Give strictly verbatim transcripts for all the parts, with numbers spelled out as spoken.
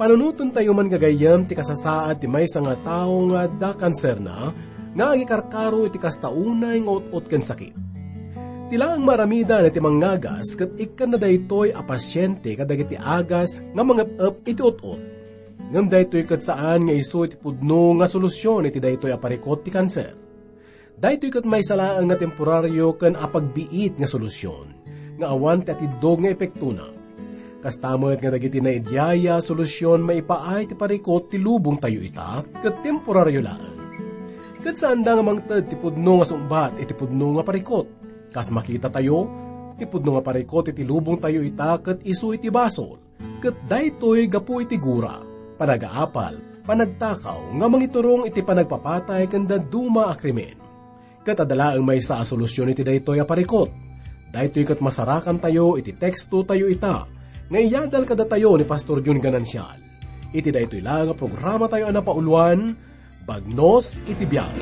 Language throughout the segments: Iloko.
Panunotentayo man gagayyem ti kasasaad ti maysa nga tao nga adda kanserna, nga agikarkaro iti kasta unay nga ut-ot ken sakit. Ti laeng maaramidan iti mangngagas ket ikkanna daytoy a pasiente kadagiti agas nga mangep-ep iti ut-ot. Ngem daytoy ket saan nga isu iti pudno nga solusion iti daytoy a parikut ti kanser. Daytoy ket maysa laeng nga temporario ken apagbiit nga solusion, nga awan ti atiddog nga epektona. Kasta met nga dagiti naidiaya a solusion maipaay ti parikut ti lubongtayo ita ket temporario laeng. Ket saanda nga mangted ti pudno nga sungbat iti pudno nga parikut. Kas makitatayo, ti pudno nga parikut iti lubongtayo ita ket isu iti basol. Ket daytoy gapu iti gura, panagaapal, panagtakaw nga mangiturong iti panagpapatay ken dadduma a krimen. Ket adda laeng maysa a solusion iti daytoy a parikut. Daytoy ket masarakantayo iti tekstotayo ita nga iyadal kadatayo ni Pastor Jun Ganancial. Iti daytoy laeng a programatayo a napauloan, Bagnos iti biag.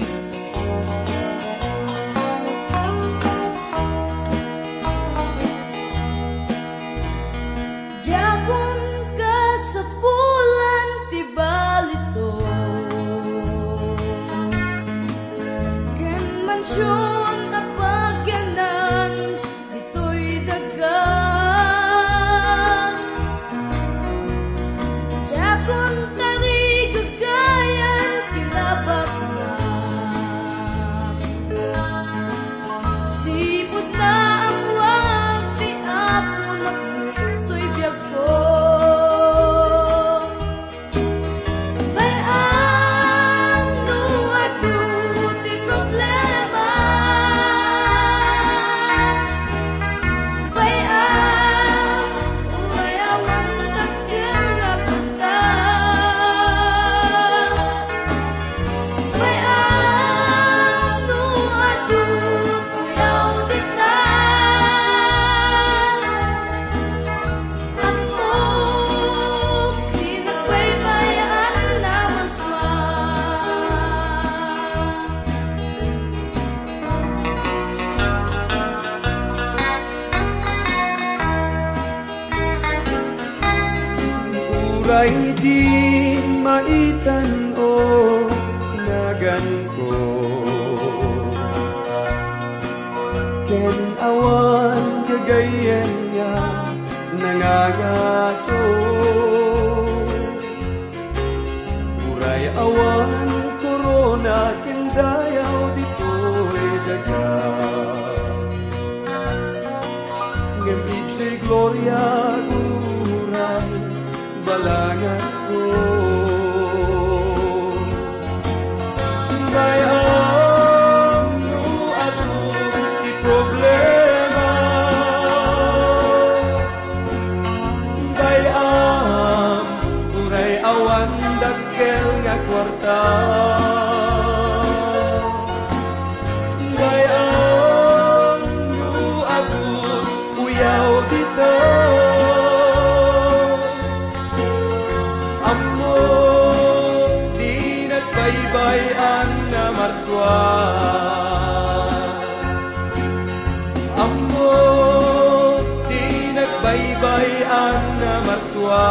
Diakon kasapulan ti balitok, ken mansion a pagyanan ditoy daga. Diakon tarigagayan ti nabaknak. Sipud naammoak ti Aponak ditoy biagko. Bay-am no adu ti problema. Bay-am, uray awan dakkel nga kwarta. Bay-am no adu ti awditna. Ammok ti nagbaybay-an a marsua. Uray di maitan-o naganko, ken awan gagayyem nga nangangato. Uray awan korona ken dayaw ditoy daga, ngem idiay gloria uray balanganko. Bay-am no adu ti problema. Bay-am, uray awan dakkel nga kuarta. Bay-am, no adu uyaw dita. Ammok ti nagbaybay-an a marsua. Ammok ti nagbaybay-an a marsua.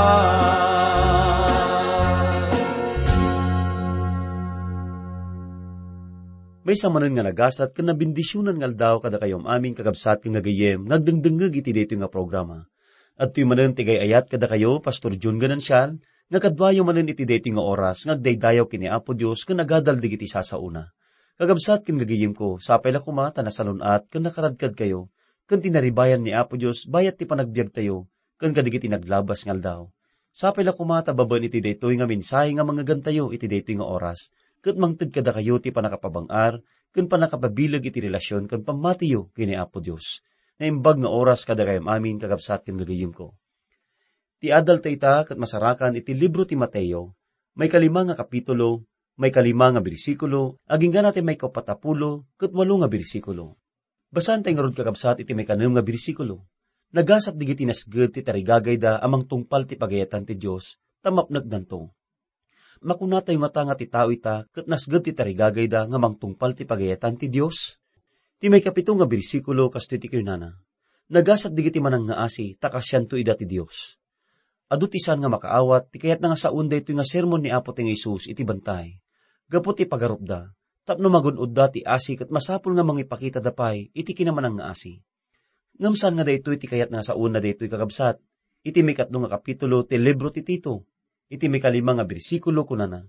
Maysa manen nga nagasat ken nabendisionan nga aldaw kadakayo amin, kakabsat ken gagayyem nga agdengdengngeg iti daytoy nga programa. Adtoy manen ti gay-ayat kadakayo, Pastor Jun Ganancial, nga kaduayo manen iti daytoy nga oras nga agdaydayaw ken ni Apo Dios ken agadal dagiti sasaona. Kakabsat ken gagayyemko, sapay la koma ta nasalun-at ken nakaradkadkayo ken tinaribayan ni Apo Dios bayat ti panagbiagtayo ken kadagiti naglabas nga aldaw. Sapay la koma ta babaen iti daytoy nga mensahe nga mangngegantayo iti daytoy nga oras, ket mangted kadakayo ti pannakapabang-ar ken pannakapabileg iti relasion ken pammatiyo ken ni Apo Dios. Naimbag nga oras kadakayo amin, kakabsat ken gagayyemko. Ti adalta ita ket masarakan iti libro ti Mateo, maikalima nga kapitulo, maikalima nga bersikulo, agingga ti maikapat a pulo ket walo nga bersikulo. Basaentayo ngarud, kakabsat, iti maikanem nga bersikulo. Nagasat dagiti nasged ti tarigagayda a mangtungpal ti pagayatan ti Dios, ta mapnekdanto. Makunatayo ngata nga ti tao ita ket nasged ti tarigagayda nga mangtungpal ti pagayatan ti Dios? Ti maikapito nga bersikulo, kastoy ti kunana, "Nagasat dagiti manangngaasi, ta kaasianto ida ti Dios." Adu ti saan nga makaawat ti kayatna nga sawen daytoy nga sermon ni Apo ti nga Jesus iti bantay, gapu ti pagarupda, tapno magun-odda ti asi ket masapul nga mangipakitada pay iti kinamanang nga asi. Ngem saan nga daytoy ti kayatna nga sawenna daytoy, kakabsat. Iti mikatlo nga kapitulo ti libro ti Tito, iti mikalima nga bersikulo, kunana,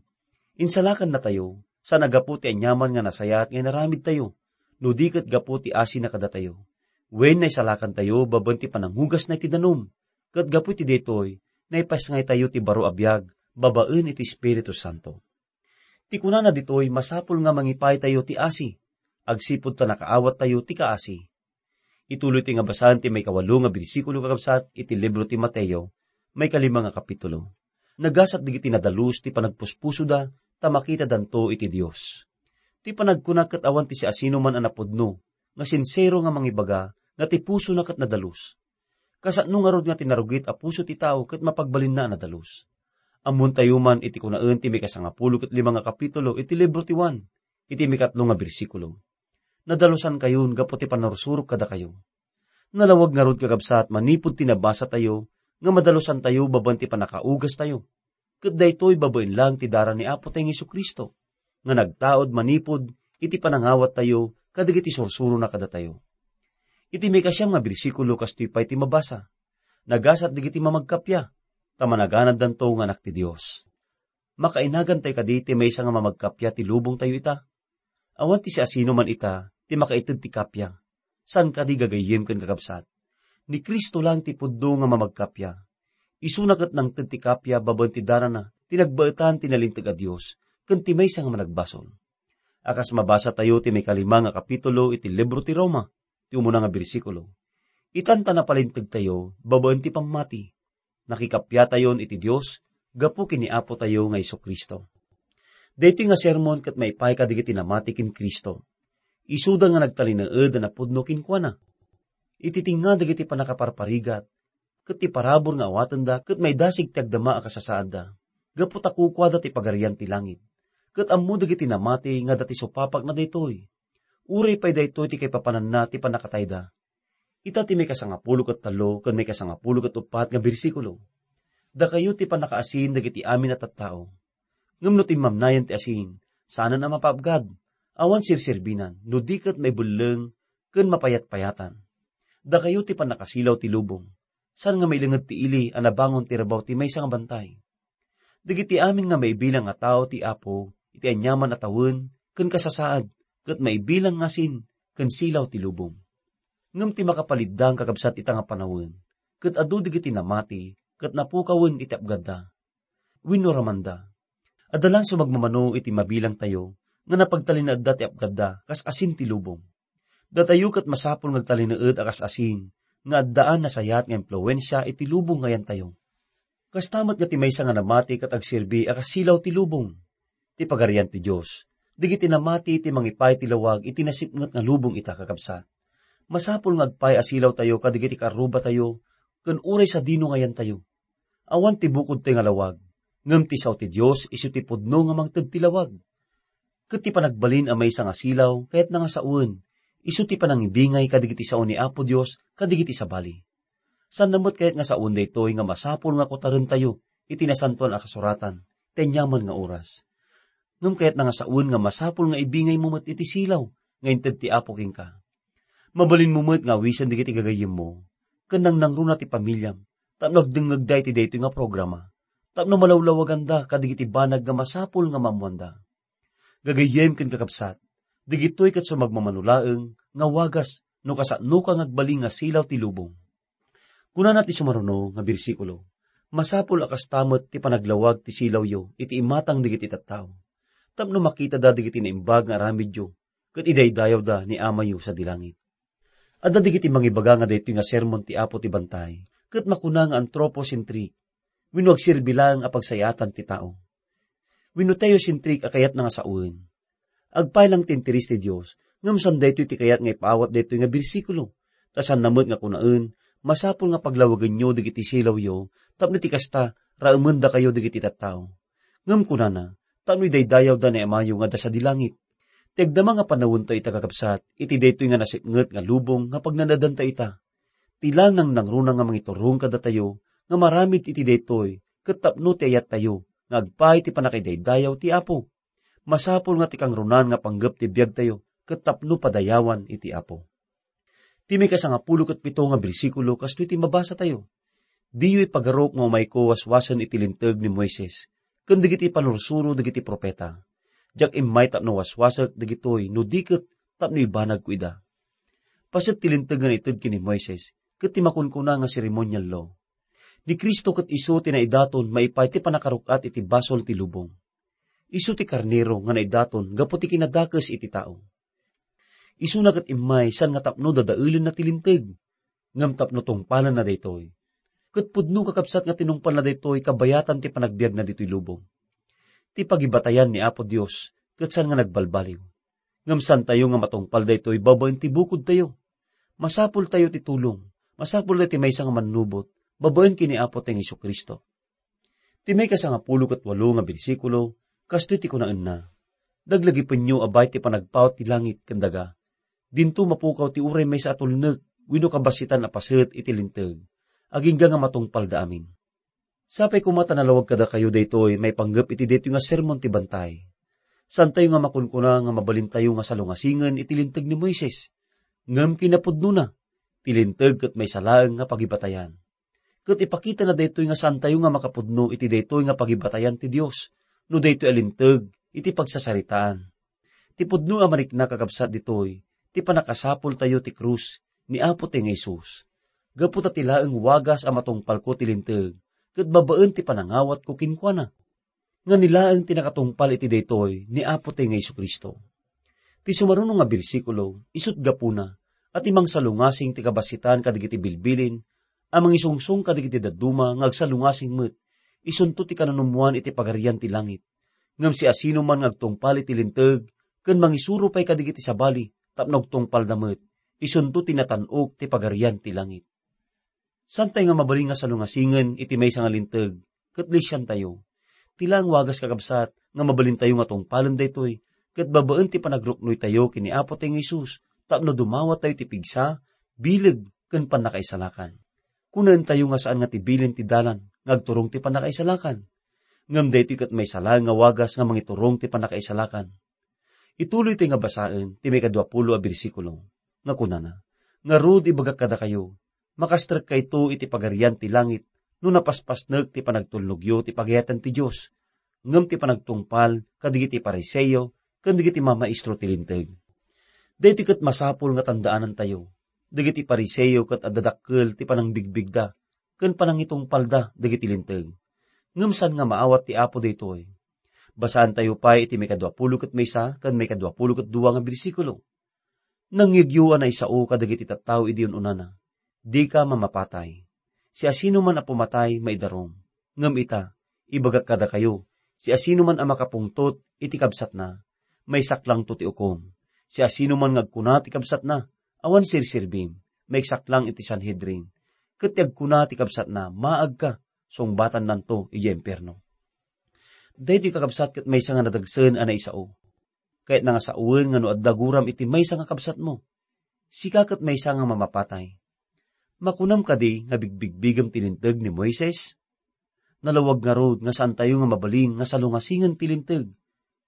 "Insalakannatayo, saan a gapu ti aniaman nga nasayaat nga inaramidtayo, no di ket gapu ti asina kadatayo. Wen naisalakantayo babaen ti panangugasna iti danum, ket gapu iti daytoy, naipasngaytayo ti baro a biag babaen iti Espiritu Santo." Ti kunana ditoy, masapul nga mangipaytayo ti asi, agsipud ta nakaawattayo ti kaasi. Ituloy ti nga basaen ti maikawalo nga bersikulo, kakabsat, iti libro ti Mateo, maikalima nga kapitulo. Nagasat dagiti nadalus ti panagpuspusoda ta makitadanto iti Dios. Ti panagkuna ket awan ti siasinoman a napudno nga sinsero nga mangibaga nga ti pusona ket nadalus. Kasano ngarud nga ti narugit a puso ti tao ket mapagbalinna a nadalus? Ammontayo man iti kunaen ti mikasangapulo ket lima nga kapitulo iti libro ti Juan, iti mikatlo nga bersikulo, "Nadalusankayon gapu ti pannursurok kadakayo." Nalawag ngarud, kakabsat, manipud ti nabasatayo nga madalusantayo babaen ti pannakaugastayo. Ket daytoy babaen laeng ti dara ni Apo tayo Jesu-Cristo, nga nagtaud manipud iti panangawattayo kadagiti sursurona kadatayo. Iti maikasiam nga bersikulo, kastoy pay ti mabasa, "Nagasat dagiti mamagkappia, ta managanaddanto nga anak ti Dios." Makainagantayo kadi ti maysa nga mamagkappia ti lubongtayo ita? Awan ti siasinoman ita ti makaited ti kappia. Saan kadi, gagayyem ken kakabsat? Ni Cristo laeng ti pudno nga mamagkappia. Isuna ket nangted ti kappia babaen ti darana ti nagbaetan ti nalinteg a Dios ken ti maysa nga managbasol. A kas mabasatayo ti maikalima nga kapitulo iti libro ti Roma, ti umuna nga bersikulo, itan ta napalintegtayo babaen ti pammati. Nakikappiatayon iti Dios gapu ken ni Apotayo nga Jesu-Cristo. Daytoy nga sermon ket maipaay kadagiti namati ken Cristo. Isuda nga nagtalinaed a napudno kenkuana. Iti tengnga dagiti pannakaparparigat ket ti parabur nga awatenda ket maidasig ti agdama a kasasaadda, gapu ta kukuada ti Pagarian ti langit. Ket ammo dagiti namati nga adda ti supapakna daytoy. Uray pay daytoy ti kaipapananna ti pannakatayda. Ita ti maikasangapulo ket tallo ken maikasangapulo ket uppat nga bersikulo. Dakayo ti pannakaasin dagiti amin a tattao. Ngem no timmamnayan ti asin, saanen a mapaabgad, awan serserbinan, no di ket maibelleng ken mapayatpayatan. Dakayo ti pannakasilaw ti lubong. Saan nga mailinged ti ili a nabangon ti rabaw ti maysa nga bantay? Dagiti amin nga maibilang a tao ti Apo iti aniaman a tawen ken kasasaad, ket maibilang nga asin ken silaw ti lubong. Ngem ti makapaliddang, kakabsat, ita nga panawen, ket adu dagiti namati ket napukawen iti apgadda. Wenno ramanda. Adda laeng sumagmamano iti mabilangtayo nga napagtalinaedda ti apgadda kas asin ti lubong. Datayo ket masapul nga agtalinaed a kas asin nga addaan nasayaat nga impluensia iti lubong nga yantayo. Kasta met nga ti maysa nga namati ket agserbi a kas silaw ti lubong. Ti Pagarian ti Dios, dagiti namati ti mangipaay ti lawag iti nasipnget nga lubong ita, kakabsat. Masapul nga agpaay a silawtayo kadagiti karrubatayo ken uray sadino nga yantayo. Awan ti bukodtayo nga lawag, ngem ti sao ti Dios isu ti pudno nga mangted ti lawag. Ket ti panagbalin a maysa nga silaw kayatna nga sawen, isu ti panangibingay kadagiti sao ni Apo Dios kadagiti sabali. Saanna met kayat nga sawen daytoy nga masapul nga kutarentayo iti Nasantoan a Kasuratan ti aniaman nga oras. Ngem kayatna nga sawen nga masapul nga ibingaymo met iti silaw nga inted ti Apo kenka. Mabalinmo met nga awisen dagiti gagayyemmo ken nangnangruna ti pamiliam tapno agdengngegda iti daytoy nga programa, tapno malawlawaganda kadagiti banag nga masapul nga maammoanda. Gagayyem ken kakabsat, dagitoy ket sumagmamano laeng nga wagas no kasanoka nga agbalin nga silaw ti lubong. Kunana ti sumaruno nga bersikulo, "Masapul a kasta met ti panaglawag ti silawyo iti imatang dagiti tattao, tapno makitada dagiti naimbag nga aramidyo ket idaydayawda ni Amayo sadi langit." Adda dagiti mangibaga nga daytoy nga sermon ti Apo ti bantay, ket makuna nga anthropocentric, wenno agserbi laeng a pagsayaatan ti tao. Wenno theocentric a kayatna nga sawen. Agpay lang ti interes ti Dios, ngem saan daytoy ti kayat nga ipaawat daytoy nga bersikulo. Ta saanna met nga kunaen, "Masapul nga paglawagenyo dagiti silawyo, tapno iti kasta, raemendakayo dagiti tattao." Ngem kunana, "Tapno idaydayawda ni Amayo nga adda sadi langit." Ti agdama nga panawentayo ita, kakabsat, iti daytoy nga nasipnget nga lubong nga pagnanaedantayo ita. Ti laeng nangnangruna nga mangiturong kadatayo nga maramid iti daytoy ket tapno ti ayattayo nga agpaay ti pannakaidaydayaw ti Apo. Masapul nga ti kangrunan nga panggep ti biagtayo ket tapno padayawan iti Apo. Ti maikasangapulo ket pito nga bersikulo kastoy ti mabasatayo, "Diyo ipagarok nga umayko waswasen iti Linteg ni Moises ken dagiti panursuro dagiti profeta. Diak immay tapno waswasek dagitoy no di ket tapno ibanagko ida." Paset ti Linteg nga naited ken ni Moises ket ti makunkuna nga ceremonial law. Ni Cristo ket isu ti naidaton maipaay ti pannakaruk-at iti basol ti lubong. Isu ti karnero nga naidaton gapu ti kinadakes iti tao. Isuna ket immay saan nga tapno dadaelenna ti Linteg, ngem tapno tungpalenna daytoy. Ket pudno, kakabsat, nga tinungpalna daytoy kabayatan ti panagbiagna ditoy lubong. Ti pagibatayan ni Apo Dios ket saan nga nagbalbaliw. Ngem saantayo nga matungpal daytoy babaen ti bukodtayo. Masapultayo ti tulong. Masapultayo ti maysa nga mannubot babaen ken ni Apo tayong Jesu-Cristo. Ti maikasangapulo ket walo nga bersikulo, kastoy ti kunaenna, "Laglagipenyo a bay ti panagpawat ti langit ken daga. Dinto mapukaw ti uray maysa a tulnek wenno kabassitan a paset iti Linteg, agingga nga matungpalda amin." Sapay koma ta nalawag kadakayo daytoy maipanggep iti daytoy nga sermon ti bantay. Saantayo nga makunkuna nga mabalintayo nga salungasingen iti Linteg ni Moises. Ngem kinapudnona, ti Linteg ket maysa laeng nga pagibatayan. Ket ipakitana daytoy nga saantayo nga makapudno iti daytoy nga pagibatayan ti Dios no daytoy a Linteg iti pagsasaritaan. Ti pudno a marikna, kakabsat, ditoy ti pannakasapultayo ti krus ni Apo tayong Jesus. Gapu ta ti laeng wagas a matungpalko ti Linteg ket babaen ti panangawatko kenkuana. Nga ni laeng ti nakatungpal iti daytoy ni Apo tayong Jesu-Cristo. Ti sumaruno nga bersikulo, isut' gapuna a ti mangsalungasing ti kabassitan kadagiti bilbilin a mangisungsong kadagiti dadduma nga agsalungasing met, isunto ti kananummoan iti Pagarian ti Langit. Ngem siasinoman nga agtungpal iti Linteg ken mangisuro pay kadagiti sabali tapno agtungpalda met, isunto ti natan-ok ti Pagarian ti Langit. Saantayo nga mabalin nga salungasingen iti maysa nga Linteg ket lisiantayo. Ti laeng wagas, kakabsat, nga mabalintayo nga tungpalen daytoy ket babaen ti panagruknoytayo ken ni Apo tayong Jesus tapno dumawatayo ti pigsa, bileg, ken pannakaisalakan. Kunaentayo nga saan nga ti bilin ti dalan nga agturong ti pannakaisalakan. Ngem daytoy ket maysa laeng nga wagas nga mangiturong ti pannakaisalakan. Ituloytayo nga basaen ti maikadua pulo a bersikulo nga kunana, "Ngarud, ibagak kadakayo, makastrekkayto iti Pagarian ti Langit no napaspasnek ti panagtulnogyo ti pagayatan ti Dios, ngem ti panagtungpal kadagiti Fariseo ken dagiti mamaestro ti Linteg." Daytoy ket masapul nga tandaanantayo. Dagiti Fariseo ket adda dakkel ti panangbigbigda ken panangitungpalda dagiti Linteg. Ngem saan nga maawat ti Apo daytoy. Basaantayo pay iti maikadua pulo ket maysa ken maikadua pulo ket dua nga bersikulo. "Nangngegyo a naisao kadagiti tattao idi un-unana, 'Dika mamapatay. Siasinoman a pumatay, maidarum.' Ngem ita, ibagak kadakayo, siasinoman a makapungtot iti kabsatna, maisaklangto ti ukom. Siasinoman nga agkuna ti kabsatna, 'Awan serserbim,' maiksaklang iti Sanhedrin. Ket ti agkuna ti kabsatna, 'Maagka,' sungbatannanto idiay impierno." Daytoy, kakabsat, ket maysa nga nadagsen a naisao. Kayatna nga saoen nga no adda guram iti maysa nga kabsatmo, sika ket maysa nga mamapatay. Makunam kadi nga bigbigbigem ti Linteg ni Moises? Nalawag ngarud nga saantayo nga mabalin nga salungasingen ti Linteg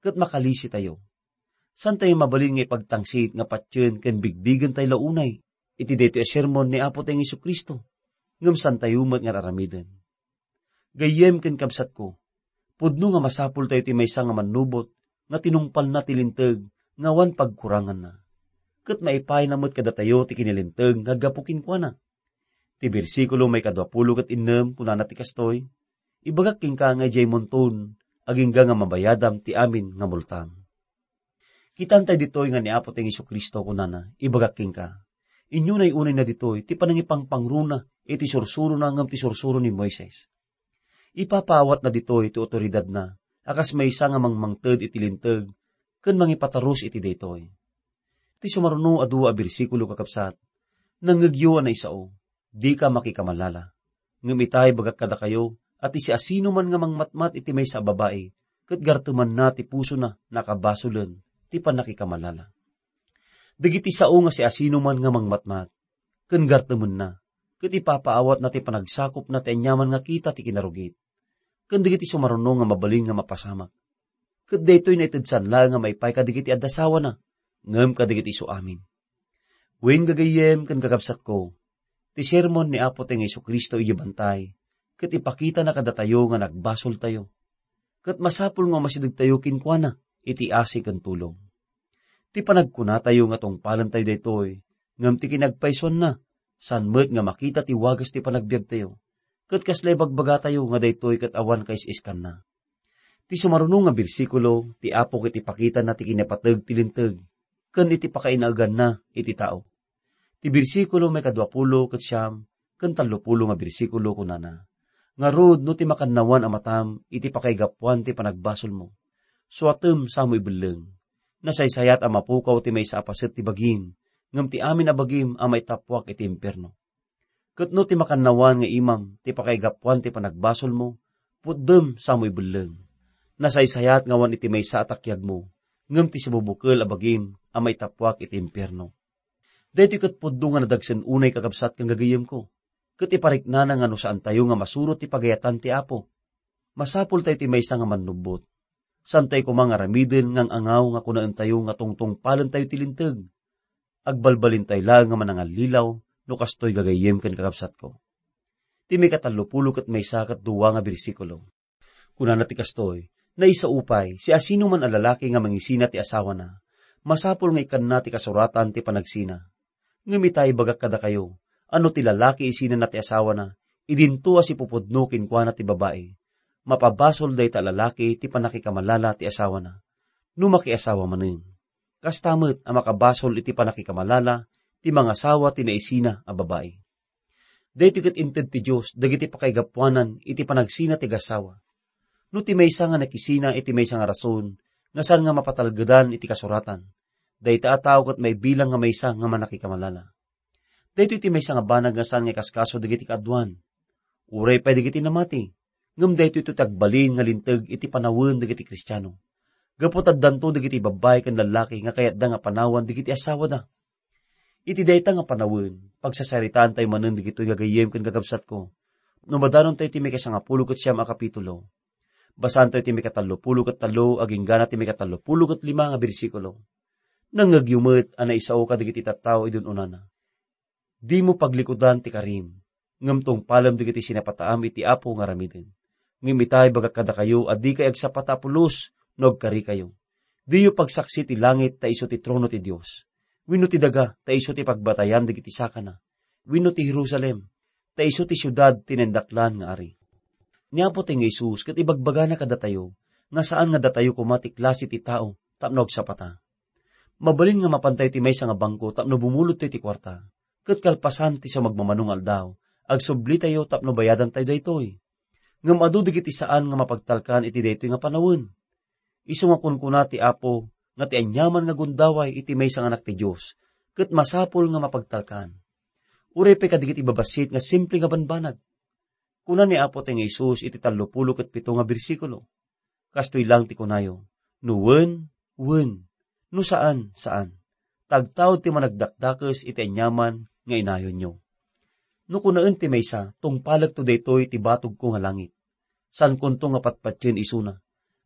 ket makalisitayo. Saantayo mabalin nga ipagtangsit nga patien ken bigbigentayo la unay iti daytoy a sermon ni Apo tayong Jesu-Cristo, ngem saantayo met nga aramiden. Gayyem ken kabsatko, pudno nga masapultayo ti maysa nga mannubot nga tinungpalna ti Linteg nga awan pagkuranganna. Ket maipayna met kadatayo ti kinalinteg nga aggapu kenkuana. Ti bersikulo maikadua pulo ket innem kunana ti kastoy, "Ibagak kenka nga idiay munton, agingga nga mabayadam ti amin nga multam." Kitaentayo ditoy nga ni Apo tayong Jesu-Cristo kunana, "Ibagak kenka." Inyunay unayna ditoy ti panangipangpangruna iti sursurona ngem ti sursuro ni Moises. Ipapaawatna ditoy ti awtoridadna a kas maysa nga mangmangted iti Linteg ken mangipatarus iti daytoy. Ti sumaruno a dua a bersikulo, kakabsat, "Nangngegyo a naisao, dika makikamalala. Ngem ita, ibagak kadakayo a ti siasinoman nga mangmatmat iti maysa a babai ket gartemanna ti pusona, nakabasolen ti pannakikamalala." Dagiti sao nga siasinoman nga mangmatmat ken gartemenna, ket ipapaawatna ti panagsakopna ti aniaman nga kita ti kinarugit, ken dagiti sumaruno nga mabalin nga mapasamak. Ket daytoy naitedsan laeng nga maipaay kadagiti adda sawana, ngem kadagiti isu amin. Wen, gagayyem ken kakabsatko, ti sermon ni Apotayo nga Jesu-Cristo idiay bantay, ket ipakitana kadatayo nga nagbasoltayo. Ket masapul nga umasidegtayo kenkuana iti asi ken tulong. Ti panagkunatayo nga tungpalentayo daytoy, ngem ti kinagpaysuanna, saan met nga makita ti wagas ti panagbiagtayo, ket kasla ibagbagatayo nga daytoy ket awan kais-iskanna. Ti sumaruno nga bersikulo, ti Apo ket ipakitana ti kinapateg ti Linteg, ken iti pakainaeganna iti tao. Ti bersikulo maikadua pulo ket siam ken tallo pulo nga bersikulo kunana, "Ngarud, no ti makannawan a matam iti pakaigapuan ti panagbasolmo, suatem samo ibelleng. Nasaysayat a mapukaw ti maysa a paset ti bagim, ngem ti amin a bagim a maitappuak iti impierno. Ket no ti makannawan nga imam ti pakaigapuan ti panagbasolmo, putdem samo ibelleng. Nasaysayat nga awan iti maysa a takiagmo, ngem ti sibubukel a bagim a maitappuak iti impierno." Daytoy ket pudno nga nadagsen unay, kakabsat ken gagayyemko, ket ipariknana nga no saantayo nga masurot ti pagayatan ti Apo, masapultayo ti maysa nga mannubbot. Saantayo koma nga aramiden nga ang-angaw nga kunaentayo nga tungtungpalentayo ti Linteg. Agbalbalintayo laeng nga manangallilaw no kastoy, gagayyem ken kakabsatko. Ti maikatallo pulo ket maysa ket dua nga bersikulo. Kunana ti kastoy, "Naisao pay, siasinoman a lalaki nga mangisina ti asawana, masapul nga ikkanna ti kasuratan ti panagsina. Ngem ita, ibagak kadakayo, a no ti lalaki isinana ti asawana, idinto a sipupudno kenkuana ti babai, mapabasol dayta a lalaki ti pannakikamalala ti asawana, no makiasawa manen. Kasta met a makabasol iti pannakikamalala ti mangasawa ti naisina a babai." Daytoy ket inted ti Dios dagiti pakaigapuanan iti panagsina ti agasawa. No ti maysa nga nakisina iti maysa nga rason nga saan nga mapatalgedan iti kasuratan, dayta a tao ket maibilang nga maysa nga mannakikamalala. Daytoy ti maysa nga banag nga saan nga ikaskaso dagiti kaaduan. Uray pay dagiti namati, ngem daytoy ti agbalin nga linteg iti panawen dagiti Kristiano. Gapu ta addanto dagiti babbai ken lallaki nga kayatda nga panawan dagiti asawada. Iti dayta nga panawen, pagsasaritaantayo manen dagitoy, gagayyem ken kakabsatko, no madanontayo ti maikasangapulo ket siam a kapitulo. Basaantayo ti maikatallopulo ket tallo agingga ti maikatallopulo ket lima nga bersikulo. "Nangngegyo met a naisao kadagiti tattao idi un-unana. Dimo paglikudan ti karim, ngem tungpalem dagiti sinapataam iti Apo nga aramiden. Ngem ita, ibagak kadakayo a dikay agsapata a pulos no agkarikayo. Diyo pagsaksi ti langit ta isu ti trono ti Dios, wenno ti daga ta isu ti pagbatayan dagiti sakana, wenno ti Jerusalem ta isu ti siudad ti naindaklan nga ari." Ni Apotayo nga Jesus ket ibagbagana kadatayo nga saan nga datayo koma ti klase ti tao tapno agsapata. Mabalin nga mapantayo ti maysa nga bangko tapno bumulodtayo ti kuarta, ket kalpasan ti sumagmamano nga aldaw, agsublitayo tapno bayadantayo daytoy. Ngem adu dagiti saan nga mapagtalkan iti daytoy nga panawen. Isu nga kunkuna ti Apo nga ti aniaman nga gundaway iti maysa nga Anak ti Dios, ket masapul nga mapagtalkan. Uray pay kadagiti babassit nga simple nga banbanag. Kuna ni Apotayo nga Jesus iti tallopulo ket pito nga bersikulo, "Kastoy lang ti kunayo, no wen, wen, no saan, saan. Tagtaud ti managdakdakes iti aniaman nga inayonyo. No kunaen ti maysa, tungpalekto daytoy ti batogko nga langit. Saankonto nga patpatien isuna.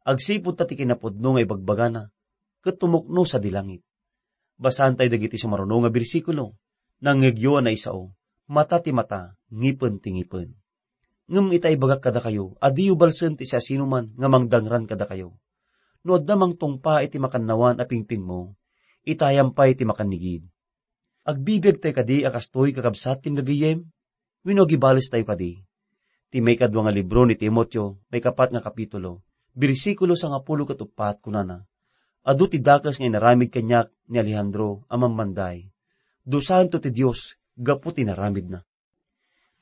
Agsipud ta ti kinapudno nga ibagbagana, ket tumukno sadi langit." Basaantayo dagiti sumaruno nga bersikulo, "Nangngegyo a naisao, mata ti mata, ngipen ti ngipen. Ngem ita, ibagak kadakayo a diyo balsen ti siasinoman nga mangdangran kadakayo. No adda mangtungpa iti makannawan a pingpingmo, itayam pay ti makannigid." Agbibiagtayo kadi a kastoy, kakabsat ken gagayyem? Wenno agibalestayo kadi? Ti maikadua nga libro ni Timoteo, maikapat nga kapitulo, bersikulo sangapulo ket uppat, kunana, "Adu ti dakes nga inaramid kaniak ni Alejandro a mammanday. Dusaento ti Dios gapu ti inaramidna."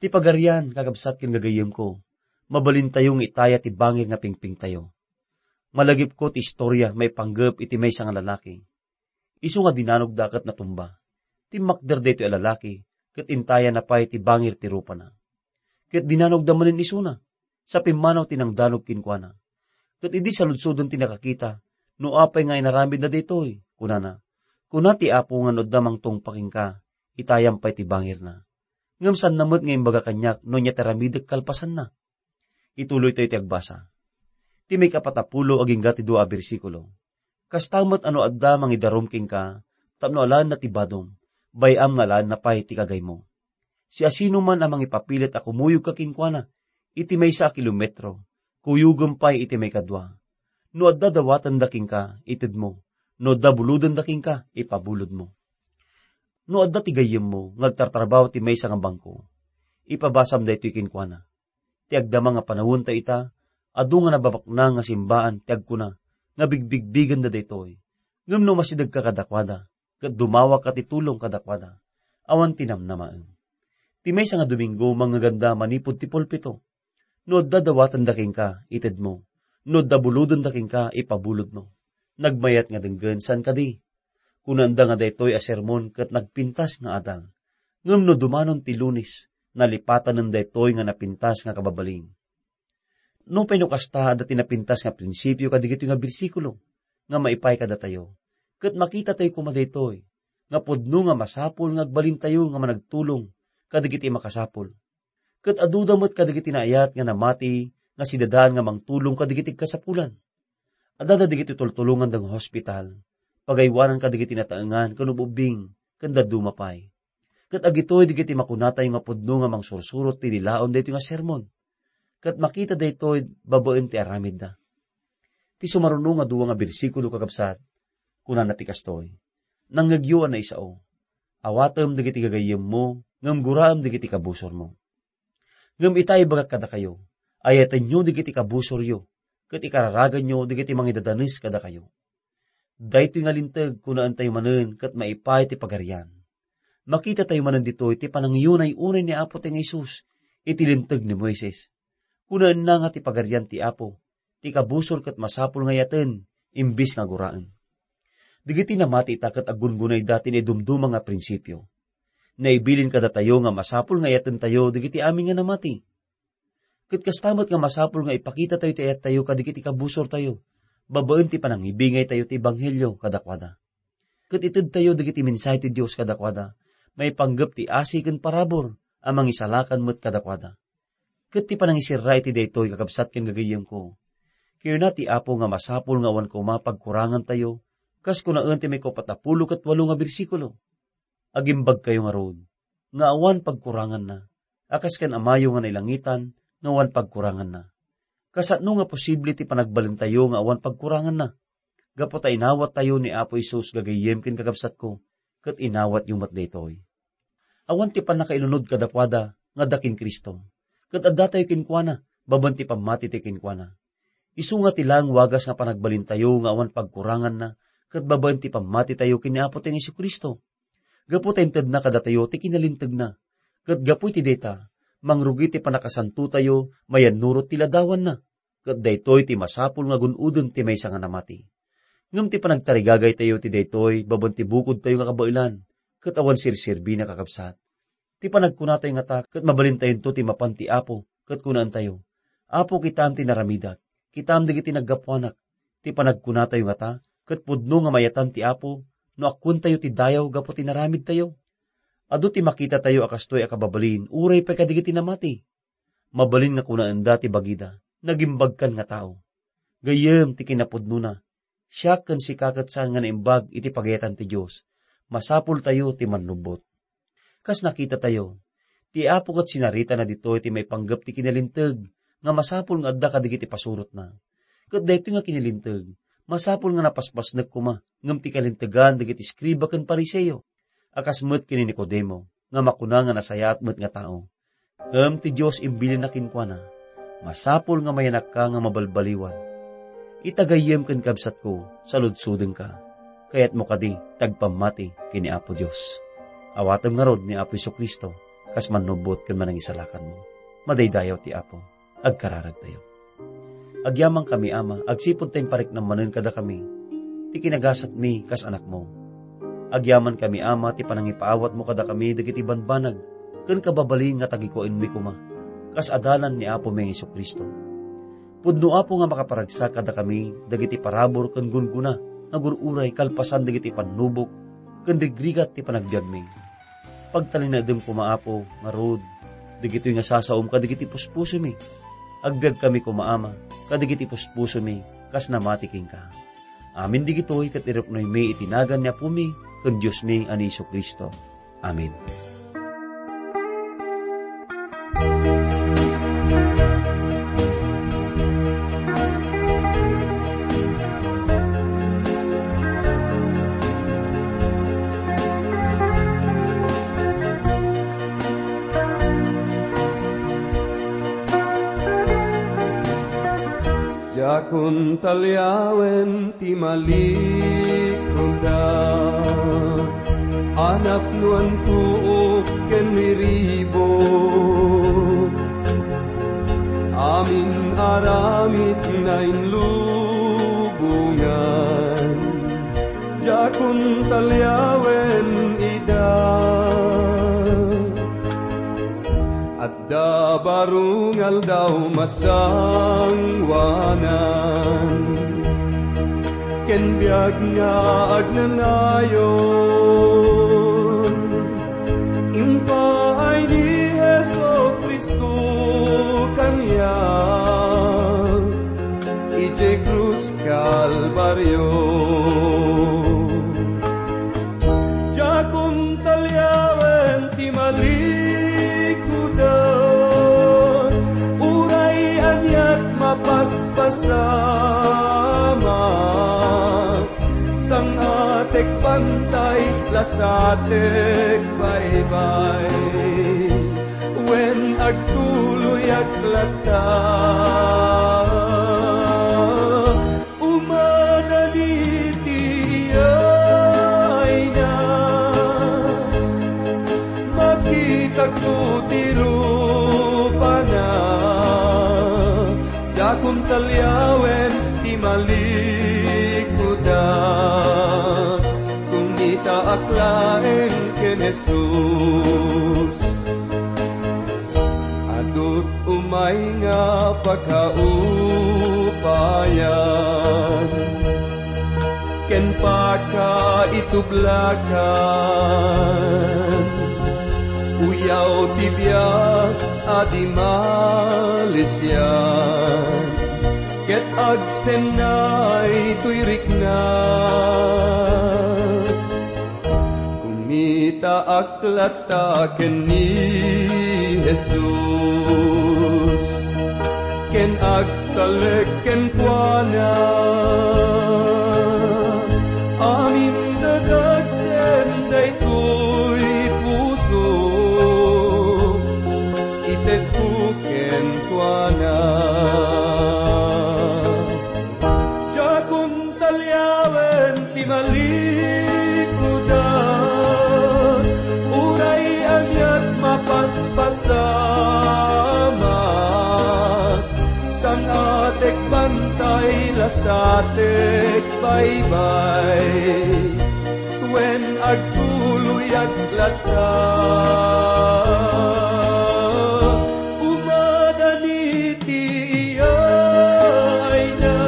Ti Pagarian, kakabsat ken gagayyemko, mabalintayo nga itaya ti bangir nga pingpingtayo. Malagipko ti istoria maipanggep iti maysa nga lalaki. Isu nga dinanogda ket natumba. Timmakder daytoy a lalaki, ket intayana pay ti bangir ti rupana. Ket dinanogda manen isuna, sa pimmanaw ti nangdanog kenkuana. Ket idi saludsoden ti nakakita, "No apay nga inaramidna daytoy?" kunana. "Kuna ti Apo nga no adda mangtungpa kenka, itayam pay ti bangirna." Ngem saanna met nga imbaga kaniak no ania ti aramidek kalpasanna. Ituloytayo ti agbasa. Ti maikapat a pulo agingga ti dua a bersikulo. Kasta met a no adda mangidarum kenka, tapno alaenna ti badom, bay-am nga alaenna pay ti kagaymo. Siasinoman a mangipapilit a kumuyogka kenkuana iti maysa a kilometro, kuyogem pay iti maikadua. No adda dawatenda kenka, itedmo. No adda bulodenda kenka, ipabulodmo. No adda ti gayyemmo nga agtartrabaho ti maysa nga bangko, ipabasam daytoy kenkuana. Ti agdama nga panawen ta ita, adu nga nababaknang nga simbaan ti agkuna nga bigbigbigenda daytoy. Ngem no masidegka kadakuada, ket dumawakka ti tulong kadakuada, awan ti namnamaem. Ti maysa nga Domingo, mangngeganda manipud ti pulpito. No adda dawatenda kenka, itedmo. No adda bulodenda kenka, ipabulodmo. Nagmayat nga denggen, saan kadi? Kunanda nga daytoy a sermon ket nagpintas nga adal. Ngem no dumanon ti Lunes, nalipatanen daytoy nga napintas nga kababalin. Nupay no kasta, adda ti napintas nga prinsipio kadagitoy nga bersikulo nga maipaay kadatayo, ket makitatayo koma daytoy, nga pudno nga masapul nga agbalintayo nga managtulong kadagiti makasapul. Ket aduda met kadagiti naayat nga namati nga sidadaan nga mangtulong kadagiti kasapulan. Adda dagiti tultulonganda nga hospital, pagaywanan kadagiti nataengan ken ub-ubbing, ken dadduma pay. Ket agitoy dagiti makunatayo nga pudno nga mangsursurot ti lilaon daytoy nga sermon. Ket makita daytoy babaen ti aramidda. Ti sumaruno nga dua nga bersikulo, kakabsat, kunana ti kastoy, "Nangngegyo a naisao. Awatem dagiti gagayyemmo, ngem guraem dagiti kabusormo." Ngem ita, ibagak kadakayo, ayatenyo dagiti kabusoryo, ket ikararaganyo dagiti mangidadanes kadakayo. Daytoy nga linteg, kunaentayo manen ket maipaay ti Pagarian. Makitatayo manen ditoy ti panangiyunay-unay ni Apo ti nga Jesus iti Linteg ni Moises. Kunaenna nga ti Pagarian ti Apo, ti kabusor ket masapul nga ayaten, imbis nga guraen. Dagiti namati ita ket aggungunayda ti naidumduma nga prinsipio. Naibilin kadatayo nga masapul nga ayatentayo dagiti amin nga namati. Ket kasta met nga masapul nga ipakitatayo ti ayattayo kadagiti kabusortayo, babaen ti panangibingaytayo ti ebanghelio kadakuada. Ket itedtayo dagiti mensahe ti Dios kadakuada, maipanggep ti asi ken parabur a mangisalakan met kadakuada. Ket ti panangisirra iti daytoy, kakabsat ken gagayyemko, kinuna ti Apo nga masapul nga awan koma pagkurangantayo, kas kunaen ti maikapat a pulo ket walo nga bersikulo. Agimbagkayo ngarud nga awan pagkuranganna, a kas ken Amayo nga nailangitan nga awan pagkuranganna. Kasano nga posible ti panagbalintayo nga awan pagkuranganna? Gapu ta inawattayo ni Apo Jesus, gagayyem ken kakabsatko, ket inawatyo met daytoy. Awan ti pannakailunod kadakuada nga adda ken Cristo, ket addatayo kenkuana babaen ti pammatitayo kenkuana. Isu nga ti laeng wagas nga panagbalintayo nga awan pagkuranganna ket babaen ti pammatitayo ken ni Apo tayo Jesu-Cristo. Gapu ta intedna kadatayo ti kinalintegna, ket gapu iti dayta, mangrugi ti pannakasantotayo mayannurot ti ladawanna, ket daytoy ti masapul nga gun-oden ti maysa nga namati. Ngem ti panagtarigagaytayo ti daytoy babaen ti bukodtayo nga kabaelan, ket awan serserbina, kakabsat. Ti panagkunatayo ngata ket mabalintayonto ti mapan ti Apo, ket kunaentayo, "Apo, kitaem ti naramidak, kitaem dagiti naggapuanak." Ti panagkunatayo ngata ket pudno nga mayatan ti Apo no agkuentayo ti dayaw gapu ti naramidtayo. Adu ti makitatayo a kastoy a kababalin uray pay kadagiti namati. Mabalin nga kunaenda ti bagida, "Nagimbagkan nga tao." Gayyem ti kinapudnona, siak ken sika ket saan nga naimbag iti pagayatan ti Dios. Masapultayo ti mannubbot. Kas nakitatayo, ti Apo ket sinaritana ditoy ti maipanggep ti kinalinteg nga masapul nga adda kadagiti pasurotna. Ket daytoy nga kinalinteg, masapul nga napaspasnek koma ngem ti kalintegan dagiti eskriba ken Fariseo, a kas met ken ni Nicodemo, nga makuna nga nasayaat met nga tao. Ngem ti Dios imbilinna kenkuana, "Masapul nga mayanakka nga mabalbaliwan. Ita gayyem ken kabsatko, saludsodenka. Kayatmo kadi ti agpammati ken ni Apo Dios?" Awatem ngarud ni Apo Jesu-Cristo kas mannubbot ken manangisalakanmo. Madaydayaw ti Apo. Agkararagtayo. Agyamankami, Ama, agsipud ta impariknam manen kadakami ti kinagasatmi kas anakmo. Agyamankami, Ama, ti panangipaawatmo kadakami dagiti banbanag ken kababalin nga tagikuenmi koma, kas adalan ni Apomi Jesu-Cristo. Pudno, Apo, nga makaparagsak kadakami dagiti parabur ken gungguna nga gur-uray kalpasan dagiti pannubok ken rigrigat ti panagbiagmi. Pagtalinaedem koma, Apo, ngarud, dagitoy nga sasaom kadagiti puspusomi. Agbiagkami koma, Ama, kadagiti puspusomi kas namati kenka. Amin dagitoy ket iruknoymi iti nagan ni Apomi ken Diosmi a ni Jesu-Cristo. Amen. Diakon taliawen ti malikudda, a napnoan tuok ken riribuk, amin aramid nainlubongan. Diakon taliawen ida. Adda baro nga aldaw masangoanan, ken biag nga agnanayon. Impaay ni Jesu-Cristo kaniak idiay krus Kalbario. Diakon taliawen ti malikudda, uray aniat mapaspasamak, sang-atek bantay, lasatek baybay, wen agtuloyak latta. Umanan iti iyayna, makitakto ti rupana. Diakon taliawen ti malikudda, kumitaak laeng ken Jesus. Adut umay nga pakaupayan ken pakaitublakan, uyaw ti biag a di malisian, ket agsennay toy rikna. Kumitaak latta ken ni Jesus, ken agtalek kenkuana. Amin dadagsen daytoy puso, itedko kenkuana. Diakon taliawen ti malikudda, uray aniat mapaspasamak, sang-atek bantay, lasatek baybay, wen agtuloyak latta. Umanan iti iyayna,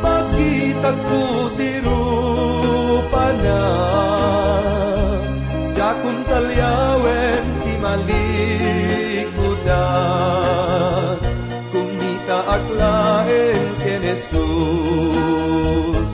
makitakto ti rupana. Diakon taliawen ti malikudda, kumitaak laeng ken Jesus.